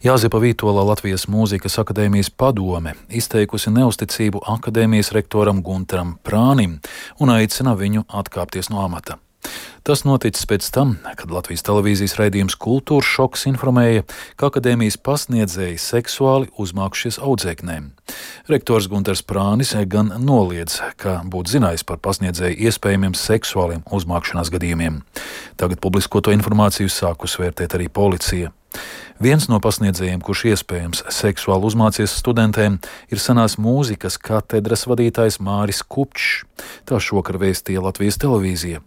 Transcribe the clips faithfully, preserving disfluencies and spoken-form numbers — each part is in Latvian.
Jāzepa Vītola Latvijas Mūzikas akadēmijas padome izteikusi neusticību akadēmijas rektoram Gunteram Prānim un aicina viņu atkāpties no amata. Tas noticis pēc tam, kad Latvijas televīzijas raidījums Kultūras šoks informēja, ka akadēmijas pasniedzēji seksuāli uzmākušies audzēknēm. Rektors Gunters Prānis gan noliedz, ka būtu zinājis par pasniedzēju iespējamiem seksuāliem uzmākšanās gadījumiem. Tagad publiskoto informāciju sākus vērtēt arī policija. Viens no pasniedzējiem, kurš iespējams seksuāli uzmācies studentēm, ir senās mūzikas katedras vadītājs Māris Kupčs. Tā šokar vēstīja Latvijas televīzija.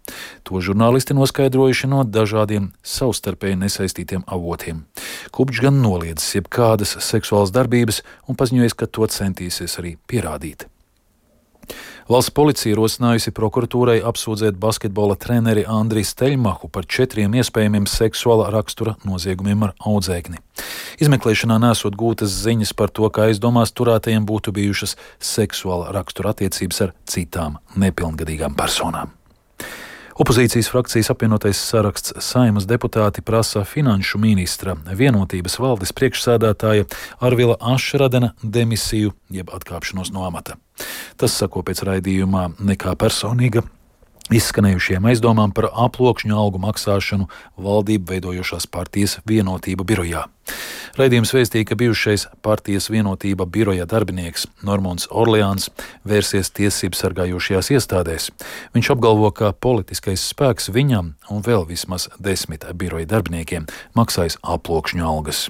To žurnālisti noskaidrojuši no dažādiem savstarpēji nesaistītiem avotiem. Kupčs gan noliedzis jebkādas seksuālas darbības un paziņojis, ka to centīsies arī pierādīt. Valsts policija rosinājusi prokuratūrai apsūdzēt basketbola treneri Andriju Steļmahu par četriem iespējamiem seksuāla rakstura noziegumiem ar audzēkni. Izmeklēšanā nesot gūtas ziņas par to, ka aizdomās turētajiem būtu bijušas seksuāla rakstura attiecības ar citām nepilngadīgām personām. Opozīcijas frakcijas apvienotais saraksts Saeimas deputāti prasa finanšu ministra Vienotības valdes priekšsēdētāja Arvila Ašradena demisiju jeb atkāpšanos no amata. Tas sako pēc raidījumā Nekā personīga izskanējušiem aizdomām par aploksņu algu maksāšanu valdību veidojošās partijas Vienotība birojā. Raidījums vēstīja, ka bijušais partijas Vienotība biroja darbinieks Normons Orleāns vērsies tiesību sargājošajās iestādēs. Viņš apgalvo, ka politiskais spēks viņam un vēl vismaz desmit biroja darbiniekiem maksājas aploksņu algas.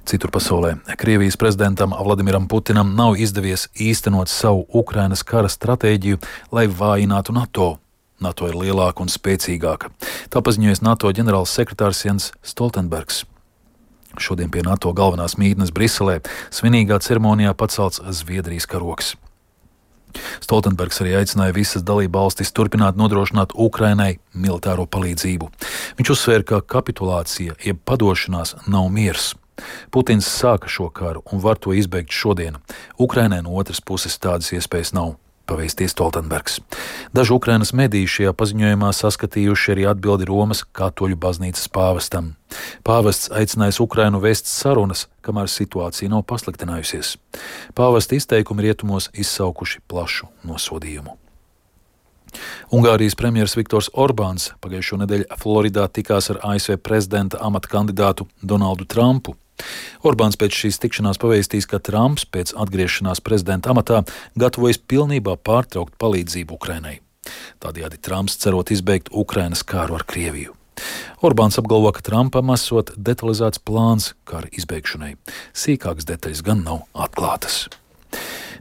Citur pasaulē Krievijas prezidentam Vladimiram Putinam nav izdevies īstenot savu Ukrainas kara stratēģiju, lai vājinātu NATO. NATO ir lielāka un spēcīgāka. Tā paziņojas NATO ģenerāls sekretārs Jens Stoltenbergs. Šodien pie NATO galvenās mītnes Briselē svinīgā ceremonijā pacelts Zviedrijas karogs. Stoltenbergs arī aicināja visas dalībvalstis turpināt nodrošināt Ukrainai militāro palīdzību. Viņš uzsvēra, ka kapitulācija jeb padošanās nav miers. Putins sāka šo karu un var to izbeigt šodien. Ukrainai no otras puses tādas iespējas nav, pavēstīja Stoltenbergs. Daži Ukrainas mediji šajā paziņojumā saskatījuši arī atbildi Romas katoļu baznīcas pāvestam. Pāvests aicinājis Ukrainu vēst sarunas, kamēr situācija nav pasliktinājusies. Pāvesta izteikumi rietumos izsaukuši plašu nosodījumu. Ungārijas premjers Viktors Orbāns pagājušo nedēļu Floridā tikās ar A S V prezidenta amata kandidātu Donaldu Trumpu. Orbāns pēc šīs tikšanās pavēstīs, ka Trumps pēc atgriešanās prezidenta amatā gatavojas pilnībā pārtraukt palīdzību Ukrainai. Tādējādi Trumps cerot izbeigt Ukrainas kāru ar Krieviju. Orbāns apgalvo, ka Trumpam esot detalizēts plāns kara izbeigšanai. Sīkākas detaļas gan nav atklātas.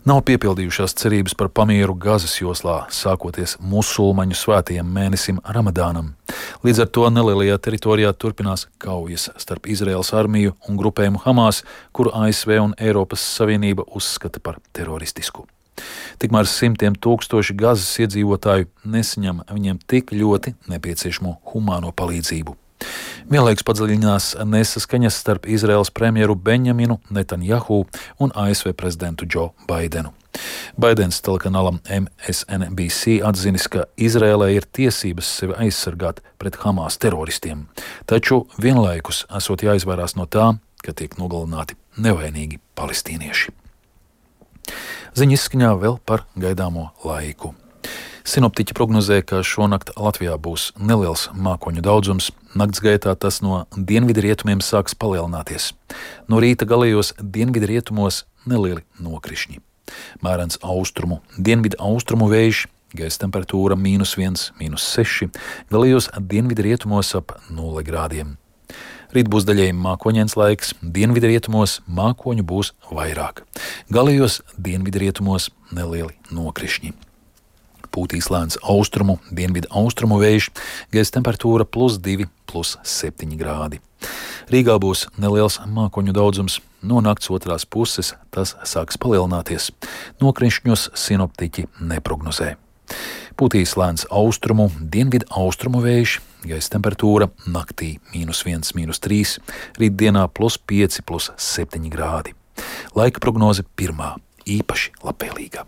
Nav piepildījušās cerības par pamieru Gazas joslā, sākoties musulmaņu svētajiem mēnesim Ramadānam. Līdz ar to nelielajā teritorijā turpinās kaujas starp Izraēlas armiju un grupējumu Hamas, kuru A S V un Eiropas Savienība uzskata par teroristisku. Tikmēr simtiem tūkstoši Gazas iedzīvotāju nesaņem viņiem tik ļoti nepieciešamo humāno palīdzību. Vienlaikus padziļinās nesaskaņas starp Izraēlas premjeru Benjaminu Netanjahu un A S V prezidentu Džo Baidenu. Baidens telekanālam M S N B C atzinis, ka Izraēlai ir tiesības sevi aizsargāt pret Hamas teroristiem, taču vienlaikus esot jāizvairās no tā, ka tiek nogalināti nevainīgi palestīnieši. Ziņa izskaņā vēl par gaidāmo laiku. Sinoptiķi prognozē, ka šonakt Latvijā būs neliels mākoņu daudzums, nakts gaitā tas no dienvidu rietumiem sāks palielināties. No rīta galējos dienvidu rietumos nelieli nokrišņi. Mērens austrumu, dienvidu austrumu vējš, gaisa temperatūra mīnus viens, mīnus seši, galējos dienvidu rietumos ap nulle grādiem. Rīt būs daļēji mākoņains laiks, dienvidu rietumos mākoņu būs vairāk. Galējos dienvidu rietumos nelieli nokrišņi. Pūtīs lēns austrumu, dienvidu austrumu vējš, gaisa temperatūra plus divi, plus septiņi grādi. Rīgā būs neliels mākoņu daudzums, no nakts otrās puses tas sāks palielināties. Nokrišņos sinoptiķi neprognozē. Pūtīs lēns austrumu, dienvidu austrumu vējš, gaisa temperatūra naktī mīnus viens, mīnus trīs, rītdienā plus pieci, plus septiņi grādi. Laika prognoze pirmā, īpaši labvēlīga.